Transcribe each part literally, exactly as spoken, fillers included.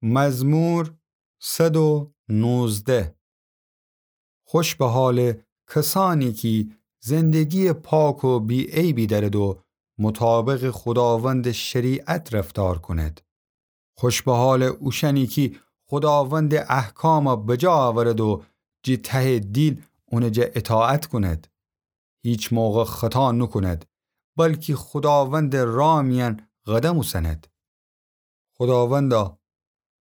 مزمور صد و نوزده. خوش به حال کسانی کی زندگی پاک و بی‌عیبی دأرد و مطابق خوداوند شریعت رفتار کند. خوش به حال اوشأنی کی خوداوند احکام بجا اورد و جی ته دیل اونٚ جا اطاعت کند. هیچ موقع خطا نوکند، بلکی خوداوند راه میأن قدم اوسند. خوداوندا،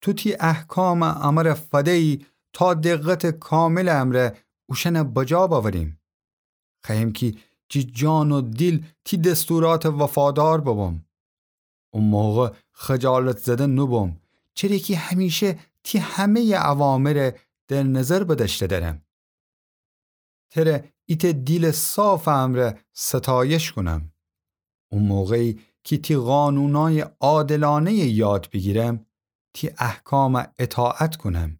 تو تی احکام امر فده‌یی تا دقت کامل امر اوشأن بجا بأوریم. خوأیم کی جی جان و دیل تی دستورات وفادار ببم. او موقع خجالت زده نوبم، چره کی همیشه تی همه‌ی اوامر در نظر بدأشته درم. تره ایتأ دیل صاف امر ستایش کونم. او موقعی کی تی قانونای عادلانه‌ی یاد بیگیرم، تی احکام اطاعت کونم.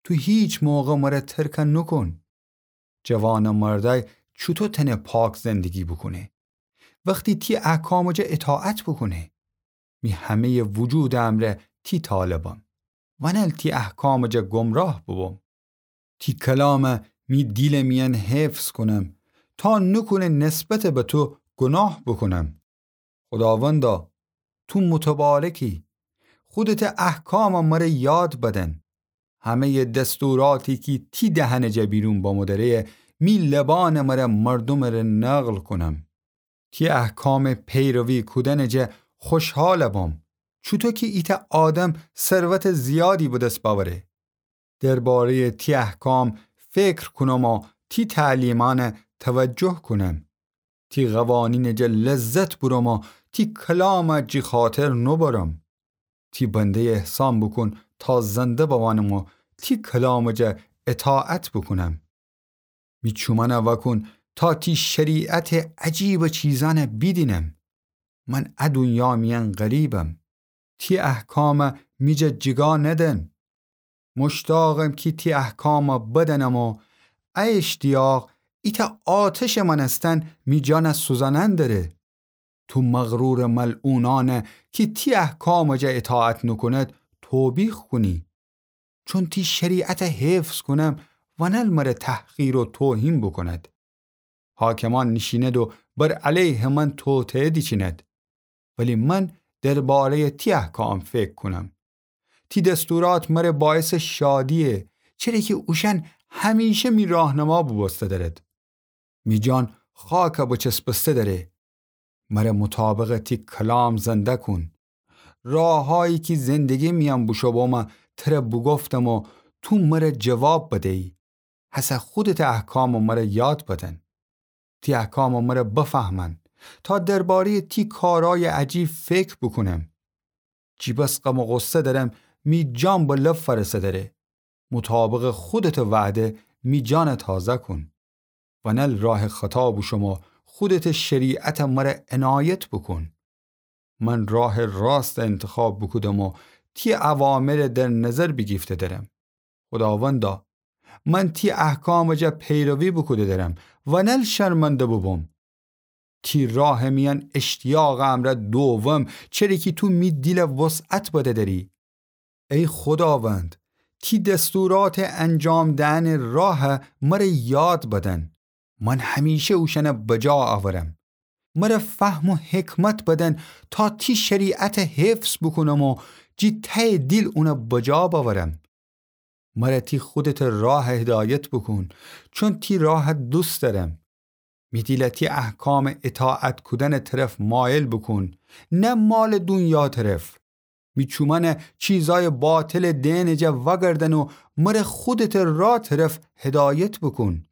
تو هیچ موقع مر ترک نوکون. جوانمردأی چوطو تأنه پاک زندگی بوکونه؟ وختی تی احکام جا اطاعت بوکونه. می همه‌ی وجود امر تی طالبم، ونل تی احکام جا گمراه بوبم. تی کلام می دیل میأن حفظ کونم، تا نوکونه نسبت به تو گناه بوکونم. خوداوندا، تو متبارکی، خودت احکام مر یاد بدن. همه‌ی دستوراتی کی تی دهن جا بیرون بمو دره، می لبان مر مردومٚ ره نقل کونم. تی احکام پیروی کودن جا خوشحال بم، چوطو کی ایتأ آدم ثروت زیادی بدس بأوره. درباره‌ی تی احکام فکر کونم و تی تعلیمان توجه کونم. تی قوانین جا لذت بورم و تی کلام جی خاطر نوبرم. تی بنده احسان بوکون تا زنده بمانم و تی کلام جا اطاعت بوکونم. می چومأن وأکون تا تی شریعت عجیب چیزأن بیدینم. من ا دونیا میأن غریبم. تی احکام می جا جیگا ندن. مشتاقم کی تی احکام بدنم و ا اشتیاق ایتأ آتشٚ مأنستن می جان سوزأنن دره. تو مغرور ملعونأن کی تی احکام جا اطاعت نوکوند توبیخ کونی. چون تی شریعت حفظ کونم، ونل مر تحقیر و توهین بوکوند. حاکمان نیشیند و بر علیه من توطئه دیچیند. ولی من درباره‌ی تی احکام فکر کونم. تی دستورات مر باعث شادیه، چره کی اوشأن همیشه می راهنما بوبوسته درد. می جان خاک بچسبسته دره. مر مطابق تی کلام زنده کون. راهایی کی زندگی میأن بوشو بوم تر بوگفتم و تو مر جواب بده‌یی. هسه خودت احکام مر یاد بدن. تی احکام مر بفهمن تا درباره‌ی تی کارای عجیب فکر بوکونم. چی بس غم و غصه درم، می جان به لب فرسه دره. مطابق خودت وعده می جان تازه کون. ونل راه خطا بوشم و خودت شریعت مر عنایت بوکون. من راه راست انتخاب بوکودم و تی اوامر در نظر بیگیفته درم. خوداوندا، من تی احکام جا پیروی بوکوده درم، ونل شرمنده بوبوم. تی راه میأن اشتیاق امر دووم، چره کی تو می دیل وسعت بده دری. ای خوداوند، تی دستورات انجام دهن راه مر یاد بدن. من همیشه اوشأن بجا آورم. مر فهم و حکمت بدن تا تی شریعت حفظ بوکونم و جی ته دیل اون بجا باورم. مر تی خودت راه هدایت بوکون، چون تی راه دوست درم. می دیل تی احکام اطاعت کودن طرف مایل بوکون، نه مال دونیا طرف. می چومأن چیزای باطل دئن جا وگردن و مر خودت راه طرف هدایت بوکون.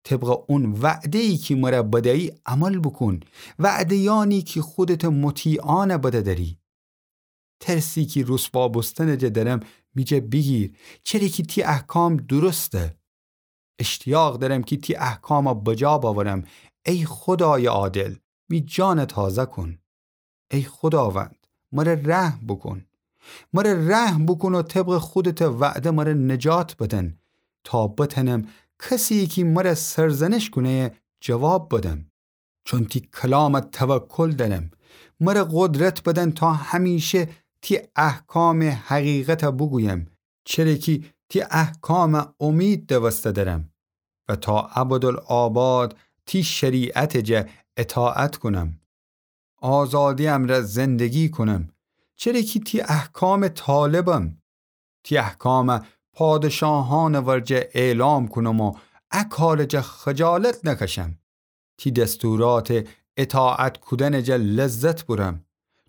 طبق اون وعده‌یی کی مر بده‌یی عمل بوکون، وعده‌یأنی کی خودت مطیعأن بده دری. ترسی کی رسوا بوستن جا درم می جا بیگیر، چره کی تی احکام درسته. اشتیاق درم کی تی احکام بجا باورم. ای خودای عادل، می جان تازه کون. ای خوداوند، مر رحم بوکون. مر رحم بوکون و طبق خودت وعده مر نجات بدن، تا بتنم کسی کی مر سرزنش کونه جواب بدم. چون تی کلام توکل درم. مر قدرت بدن تا همیشه تی احکامٚ حقیقتَ بوگویم، چره کی تی احکامَ امید دوسته درم و تا ابدالآباد تی شریعتٚ جا اطاعت کونم. آزادی امرأ زندگی کونم، چره کی تی احکامٚ طالبم. تی احکامَ پادشاهأنٚ ورجه اعلام کونم و ا کارٚ جا خجالت نکشم. تی دستوراتٚ اطاعت کودنٚ جا لذت بورم،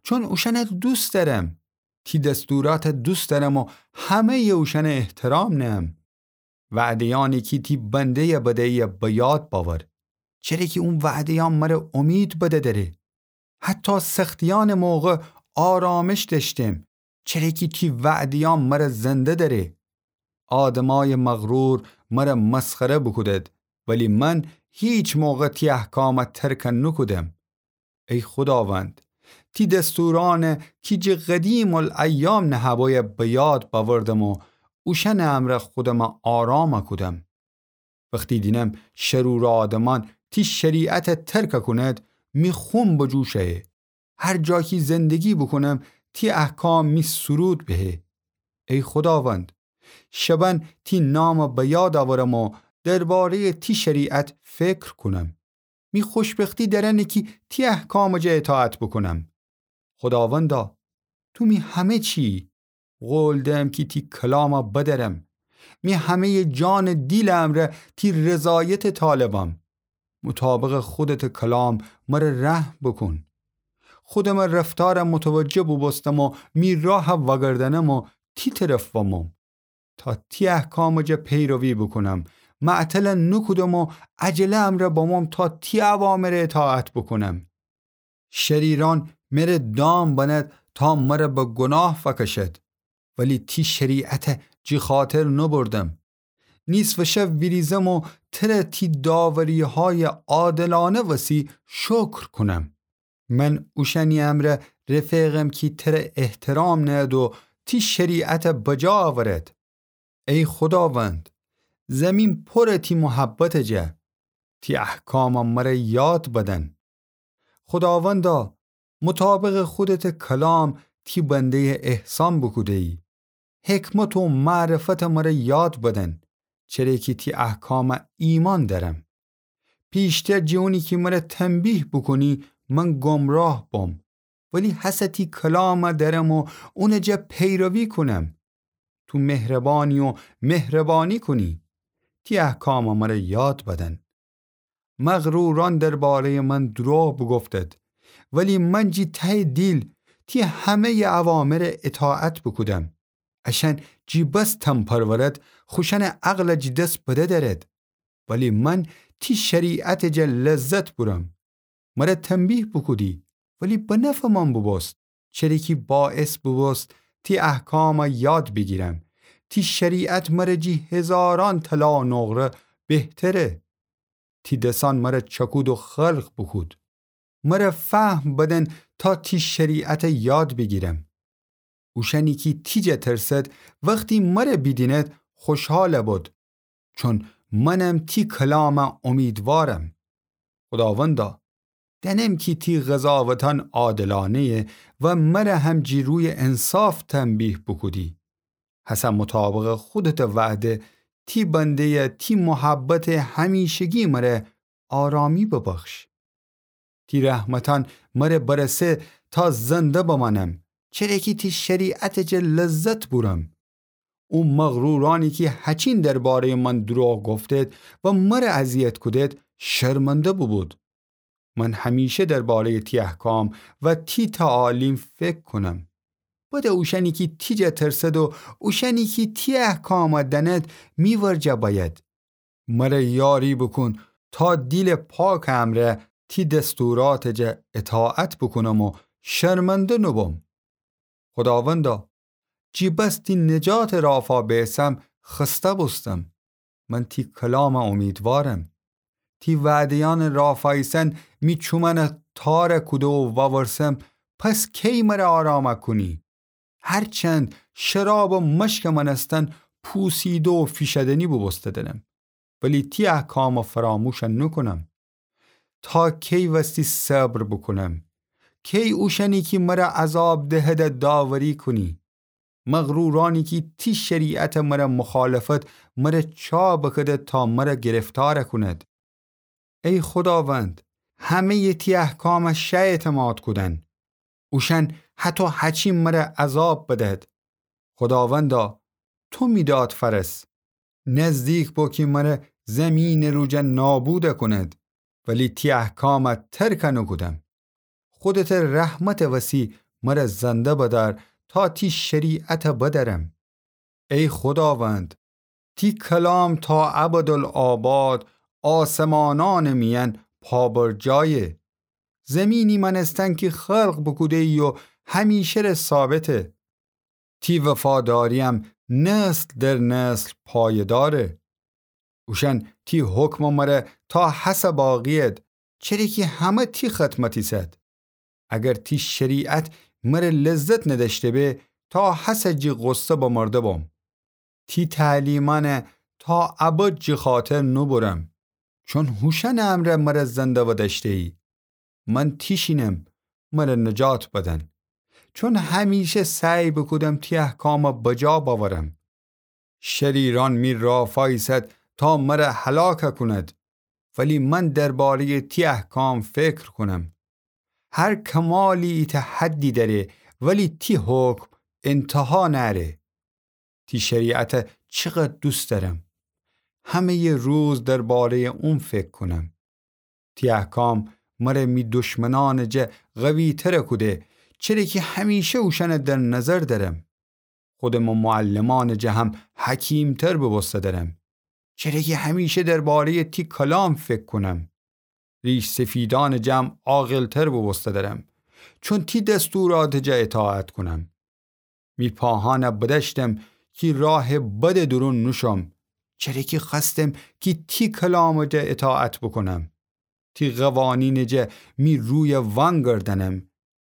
چون اوشأنَ دوست دأرم. تی دستوراتَ دوست دأرم و همه‌یٚ اوشأنَ احترام نهم. وعده‌یأنی کی تی بنده‌یَ بده‌یی به یاد بأور، چره کی او وعده‌یأن مرَ امید بده دأره. حتی سختیأنٚ موقع آرامش دأشتم، چره کی تی وعده‌یأن مرَ زنده دأره. آدمأیٚ مغرور مرَ مسخره بوکودد، ولی من هیچ موقع تی احکامَ ترک نوکودم. ای خوداوند، تی دستورأنَ کی جٚه قدیم‌الایام نهه‌بویه به یاد بأوردم و اوشأنٚ امرأ خودمَ آرام کودم. وختی دینم شرور آدمأن تی شریعتَ ترک کونید، می خون بجوشأیه. هر جا کی زندگی بوکونم، تی احکام می سرود بهه. ای خوداوند، شبأن تی نامَ به یاد أورم و درباره‌یٚ تی شریعت فکر کونم. می خوشبختی در انه کی تی احکامٚ جا اطاعت بوکونم. خوداوندا، تو می همه چی‌یی. قول دهم کی تی کلامَ بدأرم. می همه‌یٚ جانٚ دیلٚ امرأ تی رضایتَ طالبم. مطابقٚ خودتٚ کلام مرَ رحم بوکون. خودمٚ رفتارَ متوجه بوبوستم و می راهَ وأگردأنم و تی طرف بموم. تا تی احکامٚ جا پیروی بوکونم. معطل نوکودم و عجله امرأ بموم تا تی اوامرَ اطاعت بوکونم. شریرأن مره دام بنید تا مرَ به گناه فأکشید، ولی تی شریعتَ جی خاطر نوبردم. نیصفٚ شب ویریزم و تره تی داوری‌هایٚ عادلأنه وسی شکر کونم. من اوشأنی امرأ رفیقم کی تره احترام نهید و تی شریعتَ بجا أورید. ای خوداوند، زیمین پوره تی محبتٚ جا. تی احکامَ مرَ یاد بدن. خوداوندا، مطابقٚ خودتٚ کلام تی بنده‌یَ احسان بوکوده‌یی. حکمت و معرفتَ مرَ یاد بدن، چره کی تی احکامَ ایمأن دأرم. پیشتر جٚه اونی کی مرَ تنبیه بوکونی، من گمراه بوم. ولی هسه تی کلامَ دأرم و اونٚ جا پیروی کونم. تو مهربانی و مهربانی کونی. تی احکامَ مرَ یاد بدن. مغرورأن درباره‌یٚ من دروغ بوگفتید، ولی من جی ته‌یٚ دیل تی همه‌یٚ اوامرَ اطاعت بوکودم. اشأن جی بس تن‌پرورد، خوشأنٚ عقلَ جی دس بده دأرد. ولی من تی شریعتٚ جا لذت بورم. مرَ تنبیه بوکودی، ولی به نفعٚ من بوبوست، چره کی باعث بوبوست تی احکامَ یاد بیگیرم. تی شریعت مرَ جی هزارأن طلا و نقره بهتره. تی دسأن مرَ چأکود و خلق بوکود. مرَ فهم بدن تا تی شریعتَ یاد بیگیرم. اوشأنی کی تی جا ترسد، وختی مرَ بیدیند، خوشحال بد، چون منم تی کلامَ امیدوارم. خوداوندا، دأنم کی تی قضاوتأن عادلأنه‌یه و مرَ هم جی رویٚ انصاف تنبیه بوکودی. هسه مطابقٚ خودتٚ وعده تی بنده‌یَ تی محبتٚ همیشگی مرَ آرامی ببخش. تی رحمتأن مرَ برسه تا زنده بمأنم، چره کی تی شریعتٚ جا لذت بورم. او مغرورأنی کی هچین درباره‌یٚ من دروغ گفتید و مرَ اذیت کودید، شرمنده بوبود. من همیشه درباره‌یٚ تی احکام و تی تعالیم فکر کونم. بده اوشأنی کی تی جا ترسد و اوشأنی کی تی احکامَ دأند، می ورجه بأید. مرَ یاری بوکون تا دیلٚ پاکٚ امرأ تی دستوراتٚ جا اطاعت بوکونم و شرمنده نوبوم. خوداوندا، جی بس تی نجاتٚ رافا بیسم خسته بوستم. من تی کلامَ امیدوارم. تی وعده‌یأنٚ رافا ایسن می چومأنَ تارَ کوده و وأورسم، پس کی مرَ آرامَ کونی؟ هرچند شراب و مشکٚ مأنستن پوسیده و فیشدنی بوبوسته‌درم، ولی تی احکامَ فراموش نوکونم. تا کی وستی صبر بوکونم؟ کی اوشأنی کی مر عذاب دهده داوری کونی؟ مغرورأنی کی تی شریعت مر مخالفت مر چا بکده تا مر گرفتار کونید؟ ای خوداوند، همه‌یٚ تی احکام شه اعتماد کودن. اوشأن هطو هچین مر عذاب بدد. خوداوندا، تو می داد فأرس. نزدیک بو کی مر زیمینٚ روجا نابود کونید، ولی تی احکام ترک نوکودم. خودتٚ رحمتٚ وسی مر زنده بدأر تا تی شریعت بدأرم. ای خوداوند، تی کلام تا ابدالآباد آسمانأنٚ میأن پابرجایه. زیمینی مأنستن کی خلق بوکوده‌یی و همیشه ره ثابته. تی وفادارییم نسل در نسل پایه‌داره. اوشأن تی حکم مر تا هسه باقی‌ید، چره کی همه تی خدمت ایسد. اگر تی شریعت مر لذت ندأشته به، تا هسه جٚه غصه بمرده بوم. تی تعلیمأن تا ابد جٚه خاطر نوبرم، چون هوشأنٚ امرأ مر زنده بدأشته‌یی. من تیشینم، مر نجات بدن، چون همیشه سعی بوکودم تی احکام بجا بأورم. شریرأن می رافا ایسد تا مر هلاک کونید، ولی من درباره‌یٚ تی احکام فکر کونم. هر کمالی ایتأ حدی دأره، ولی تی حکم انتها نأره. تی شریعت چقدر دوست دأرم. همه‌یٚ روز درباره‌یٚ اون فکر کونم. تی احکام مر می دشمنأنٚ جا قوی‌تر کوده، چره کی همیشه اوشأن در نظر دأرم. خودم معلمأنٚ جا هم حکیم‌تر بوبوسته دأرم، چره کی همیشه درباره‌یٚ تی کلام فکر کونم. ریش‌سفیدأنٚ جا هم عاقل‌تر بوبوسته دأرم، چون تی دستورأتٚ جا اطاعت کونم. می پاهأن بدأشتم کی راهٚ بدٚ دورون نوشوم، چره کی خوأستم کی تی کلامٚ جا اطاعت بوکونم. تی قوانینٚ جا می روی وأنگردأنم،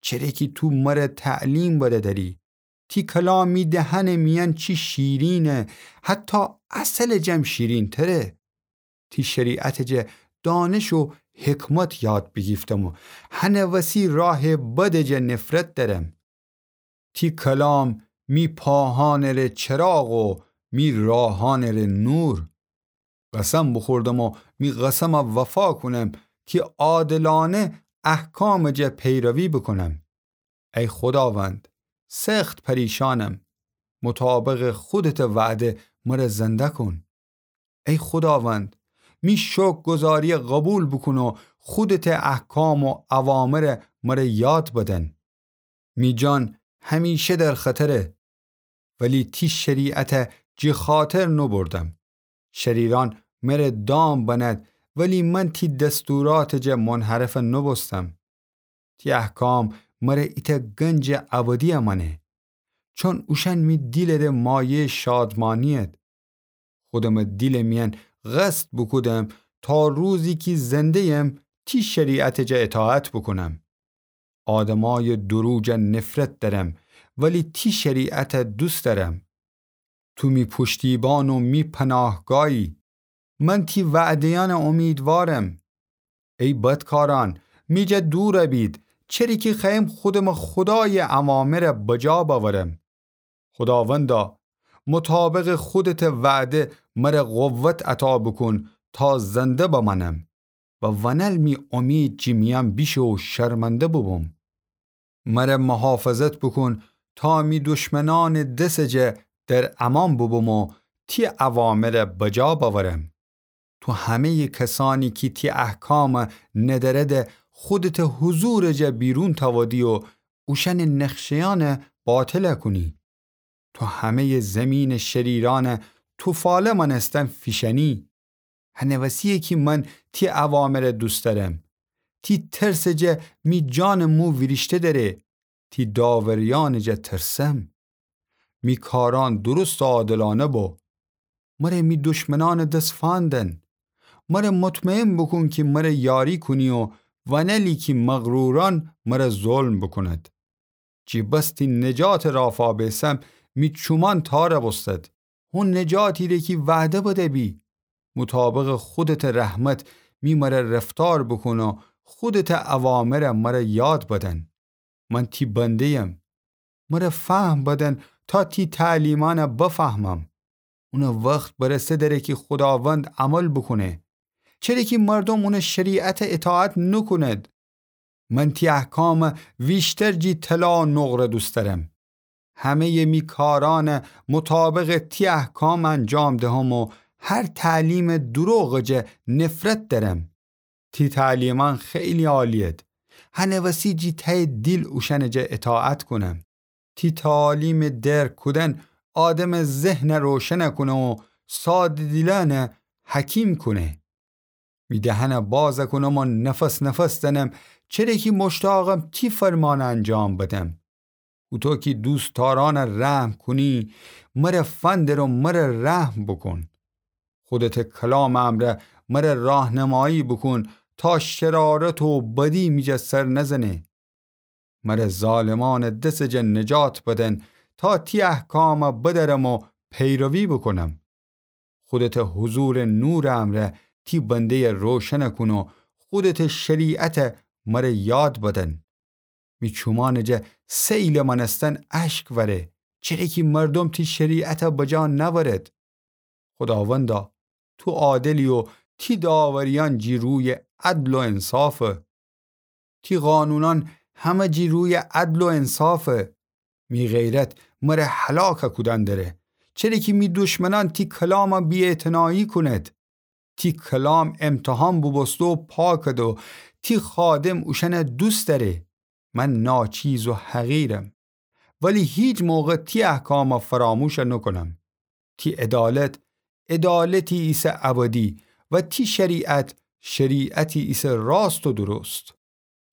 چره کی تو مر تعلیم بده دأری. تی کلام می دهنٚ میأن چی شیرینه، حتی عسلٚ جم شیرین‌تره. تی شریعتٚ جا دانش و حکمت یاد بیگیفتم و هنٚ وسی راهٚ بدٚ جا نفرت دأرم. تی کلام می پاهأنٚ ره چراغ و می راهأنٚ ره نور. قسم بوخوردم و می قسم وفا کونم کی عادلأنه احکامٚ جا پیروی بوکونم. ای خوداوند، سخت پریشأنم، مطابقٚ خودتٚ وعده مر زنده کون. ای خوداوند، می شکرگزاری قوبیل بوکون و خودتٚ احکام و اوامر مر یاد بدن. می جان همیشه در خطره، ولی تی شریعت جٚه خاطر نوبردم. شریرأن مر دام بند، ولی من تی دستورأتٚ جا منحرف نوبوستم. تی احکام مر ایتأ گنجٚ ابدی مأنه، چون اوشأن می دیلٚ ره مایه‌یٚ شادمأنی‌ید. خودمٚ دیلٚ میأن قصد بوکودم تا روزی کی زنده‌یم تی شریعتٚ جا اطاعت بوکونم. آدمأیٚ دورو جا نفرت دأرم، ولی تی شریعت دوست دأرم. تو می پشتیبان و می پناهگاهی. من تی وعده‌یأن اومیدوارم. ای بدکارأن، می جا دور بید، چره کی خوأیم خودمٚ خودایٚ اوامر بجا بأورم. خوداوندا، مطابقٚ خودتٚ وعده مر قوت عطا بوکون تا زنده بمأنم و ونل می اومید جٚه میأن بیشه و شرمنده بوبوم. مر محافظت بوکون تا می دشمنأنٚ دسٚ جا در امان بوبوم و تی اوامر بجا بأورم. تو همه‌یٚ کسأنی کی تی احکام ندأرده خودتٚ حضورٚ جا بیرون تأودی و اوشأنٚ نقشه‌یأن باطل کونی. تو همه‌یٚ زیمینٚ شریرأن توفاله مأنستن فیشأنی. هنٚ وسی‌یه کی من تی اوامر دوست دأرم. تی ترسٚ جا می جانٚ مو ویریشته دره. تی داوریأنٚ جا ترسم. می کارأن درست و عادلأنه بو. مر می دشمنأنٚ دس فأندن. مر مطمئن بوکون کی مر یاری کونی و ونلی کی مغرورأن مر ظلم بوکوند. جی بس تی نجاتٚ رافا بیسم، می چومأن تار بوستد. هو نجاتی ره کی وعده بده بی. مطابقٚ خودتٚ رحمت می مر رفتار بوکون و خودتٚ اوامر مر یاد بدن. من تی بنده‌یم. مره فهم بدن تا تی تعلیمأن بفهمم. اونٚ وخت برسه دره کی خوداوند عمل بوکونه. چره کی مردوم اونٚ شریعت اطاعت نوکوند. من تی احکام ویشتر جی طلا و نقره دوست دأرم. همه‌یٚ می کارأن مطابق تی احکام انجام دهم و هر تعلیم دروغٚ جه نفرت دأرم. تی تعلیمأن خیلی عالی‌ید. هنٚ وسی جی تأیٚ دیل اوشأنٚ جه اطاعت کونم. تی تعالیمٚ درک کودن آدمٚ ذهن روشن کونه و ساده‌دیلأن حکیم کونه. می دهن باز کونم و نفس نفس دنم، چره کی مشتاقم تی فرمان انجام بدم. هوطو کی دوستدارأن رحم کونی، مره فندر و مره رحم بوکون. خودتٚ کلامٚ امرأ مره راهنمایی بوکون تا شرارت و بدی می جه سر نزنه. مره ظالمأنٚ دسٚ جه نجات بدن تا تی احکام بدأرم و پیروی بوکونم. خودتٚ حضورٚ نورٚ امرأ تی بنده‌یٚ روشن کون و خودتٚ شریعت مره یاد بدن. می چومأنٚ جه سیلٚ مأنستن اشک وره، چره کی مردوم تی شریعت بجا نأورد. خوداوندا، تو عادلی و تی داوریأن جی رویٚ عدل و انصافه. تی قانونأن همه جی رویٚ عدل و انصافه. می غیرت مره هلاک کودن دره، چره کی می دشمنأن تی کلام بی‌اعتنایی کونید. تی کلام امتحان بوبوسته و پاکده و تی خادم اوشأن دوست دأره. من ناچیز و حقیرم، ولی هیچ موقع تی احکام فراموش نوکونم. تی عدالت عدالتی ایسه ابدی و تی شریعت شریعتی ایسه راست و درست.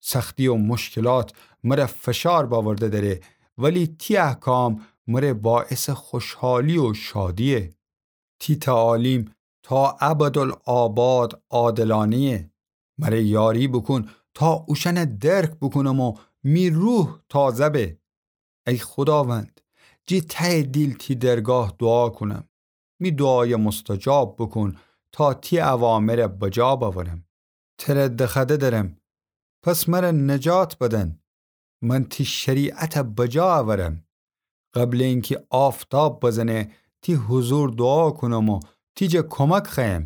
سختی و مشکلات مره فشار بأورده دره، ولی تی احکام مره باعث خوشحالی و شادیه. تی تعالیم تا ابدالآباد عادلانه‌یه. مره یاری بوکون تا اوشأن درک بوکونم و می روح تازه به. ای خوداوند، جی ته‌یٚ دیل تی درگاه دوعا کونم. می دوعای مستجاب بوکون تا تی اوامر بجا بأورم. تره دخوأده درم، پس مره نجات بدن. من تی شریعت بجا اورم. قبلٚ اینکی آفتاب بزنه، تی حضور دوعا کونم و تی جه کمک خوأیم.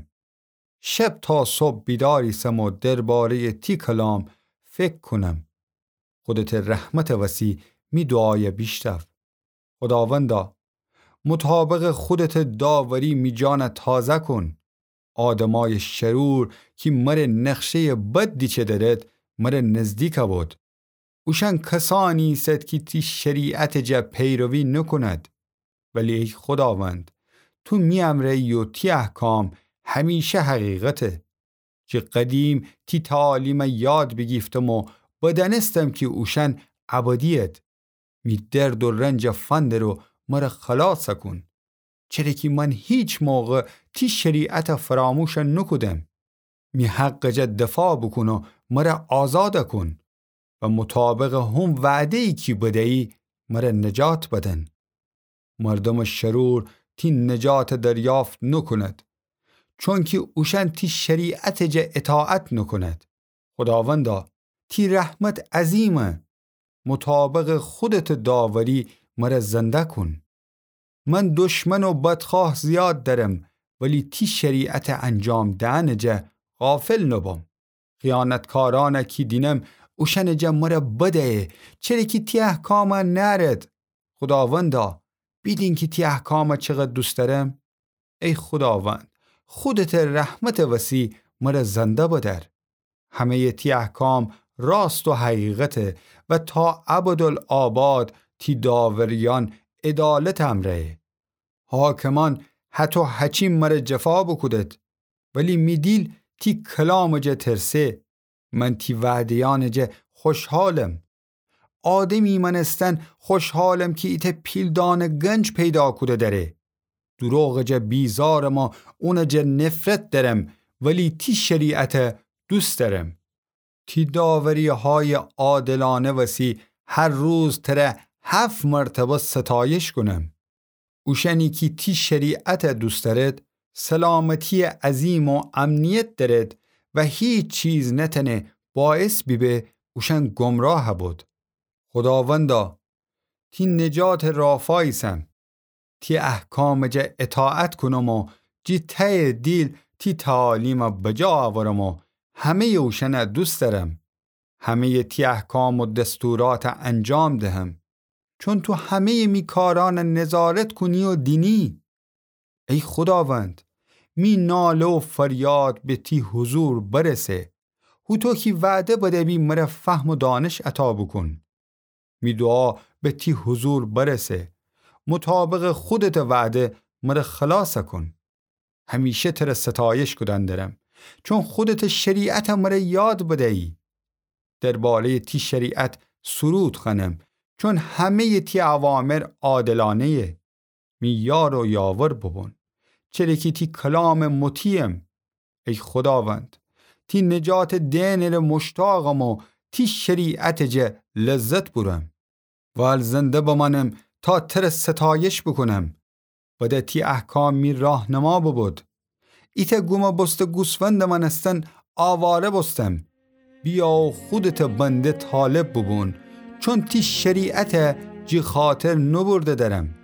شب تا صبح بیدار ایسم و درباره‌یٚ تی کلام فکر کونم. خودتٚ رحمتٚ وسی می دوعای بیشنو. خوداوندا، مطابقٚ خودتٚ داوری می جان تازه کون. آدمای شرور کی مره نقشه‌یٚ بد دیچه درد، مره نزدیک بود. اوشأن کسأنی ایسد کی تی شریعتٚ جه پیروی نوکوند. ولی ای خوداوند، تو می امرأیی و تی احکام همیشه حقیقته. جه قدیم تی تعالیم یاد بیگیفتم و بدأنستم کی اوشأن ابدی‌ید. می درد و رنج فندر و مره خلاص کون. چره کی من هیچ موقع تی شریعت فراموش نوکودم. می حقٚ جه دفاع بوکون و مره آزاد کون و مطابقٚ هم وعده‌یی کی بدیی مره نجات بدن. مردمٚ شرور تی نجات دریافت نوکوند، چونکی اوشأن تی شریعتٚ جه اطاعت نوکوند. خوداوندا، تی رحمت عظیمه. مطابقٚ خودتٚ داوری مره زنده کون. من دشمن و بدخواه زیاد درم، ولی تی شریعت انجام دئنٚ جه غافل نوبم. خیانتکارأن کی دینم، اوشأنٚ جه مره بدیه، چره کی تی احکام نأرد. خوداوندا، بیدین کی تی احکام چقدر دوست دأرم. ای خوداوند، خودتٚ رحمتٚ وسی مره زنده بدأر. همه‌یٚ تی احکام راست و حقیقته و تا ابدالآباد تی داوریأن عدالتٚ امرأیه. حاکمأن هطو هچین مره جفا بوکودد، ولی می دیل تی کلامٚ جه ترسه. من تی وعده‌یأنٚ جه خوشحالم. آدمی مأنستن خوشحالم کی ایتأ پیلدانٚ گنج پیدا کوده دأره. دروغٚ جه بیزارم و اونٚ جه نفرت دأرم، ولی تی شریعت دوست دأرم. تی داوری‌های عادلانه وسی هر روز تره هفت مرتبه ستایش کونم. اوشأنی کی تی شریعت دوست دأرد، سلامتی عظیم و امنیت دأرد و هیچ چیز نتأنه باعث بیبه اوشأن گمراه بود. خوداوندا، تی نجاتٚ رافا ایسم. تی احکامٚ جا اطاعت کونم و جی تهیٚ دیل تی تعالیم بجا آورم و همهیٚ اوشأن دوست دأرم. همهیٚ تی احکام و دستورات انجام دهم، چون تو همهیٚ می کارأن نظارت کونی و دینی. ای خوداوند، می ناله و فریاد به تی حضور برسه. هوطو کی وعده بده‌بی مر فهم و دانش عطا بوکون. می دوعا به تی حضور برسه. مطابقٚ خودتٚ وعده مر خلاص کون. همیشه تر ستایش کودن درم، چون خودتٚ شریعت مر یاد بدیی. دربارهیٚ تی شریعت سرود خوأنم، چون همهیٚ تی اوامر عادلانهیه. می یار و یاور ببون، چره کی تی کلامٚ مطیعم. ای خوداوند، تی نجاتٚ دئنٚ ره مشتاقم و تی شریعتٚ جا لذت بورم. وال زنده بمأنم تا تر ستایش بوکونم. بده تی احکام می راهنما ببود. ایتأ گومه بوسته گوسفندٚ مأنستن آواره بوستم. بیا و خودتٚ بنده طالب بوبون، چون تی شریعت جی خاطر نوبرده درم.